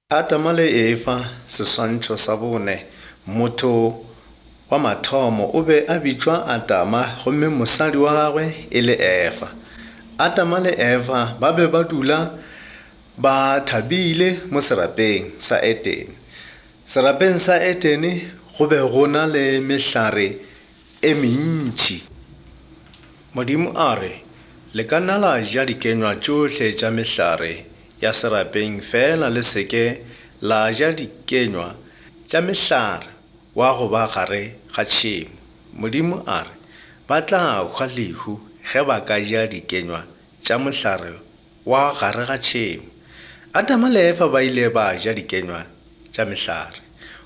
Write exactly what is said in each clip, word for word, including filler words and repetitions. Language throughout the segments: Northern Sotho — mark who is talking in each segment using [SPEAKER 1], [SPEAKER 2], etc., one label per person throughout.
[SPEAKER 1] Adama le Efa, seswantšho sa bone. Motho wa mathomo o be a bitšwa Adama gomme mosadi wa gagwe e le Efa. Adama le Efa ba be ba dula ba thabile mo serapeng sa Edene. Serapeng sa Edene go be go na le mehlare e mentši. Modimo a re, le ka nna la ja dikenywa tšohle tša mehlare ya serapeng fela le se ke la ja dikenywa tša mehlare wa go ba gare ga tšhemo. Modimo a re, ba tla hwa lehu ge ba ka ja dikenywa tša mohlare wa gare ga tšhemo. Adama le Efa ba ile ba ja dikenywa tša mehlare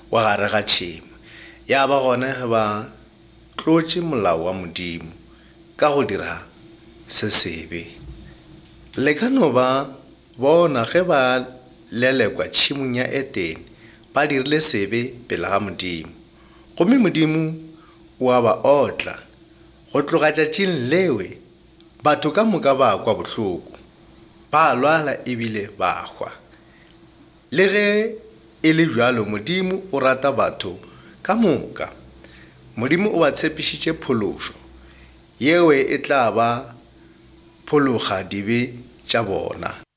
[SPEAKER 1] wa gare ga tšhemo. Ya ba gona ge ba tlotše molao wa Modimo ka go dira se sebe. Le ka no ba bona ge ba lelekwa tšhemong ya Edene, ba dirile sebe pele ga Modimo. Gomme Modimo o a ba otla. Go tloga tšatšing lewe, batho ka moka ba kwa bohloko, ba lwala ebile ba hwa. Le ge e le bjalo, Modimo o rata batho ka moka. Modimo o ba tshepišitše phološo, yeo e tla ba phologa dibe tša bona.